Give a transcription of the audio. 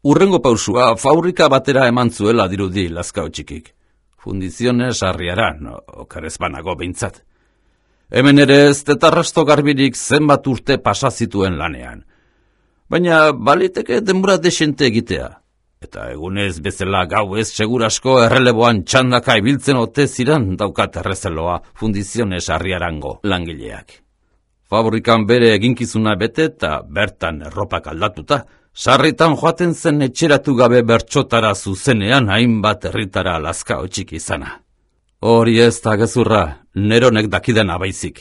Urrengo pausua fabrika batera eman zuela dirudi Lazkao txikik. Fundiziones Arriaran, okerez banago behintzat. Hemen ere ez tetarrasto garbirik zenbat urte pasa zituen lanean. Baina baliteke denbora desente egitea. Eta egunez bezala gauez segurasko erreleboan txandaka ibiltzen ote ziren daukat errezeloa Fundiziones Arriarango langileak. Fabrikan bere eginkizuna bete eta bertan erropak aldatuta, sarritan joaten zen etxeratu gabe bertxotara zuzenean hainbat herritara Lazkao txiki izana. Hori ez da gezurra, neronek dakidana baizik.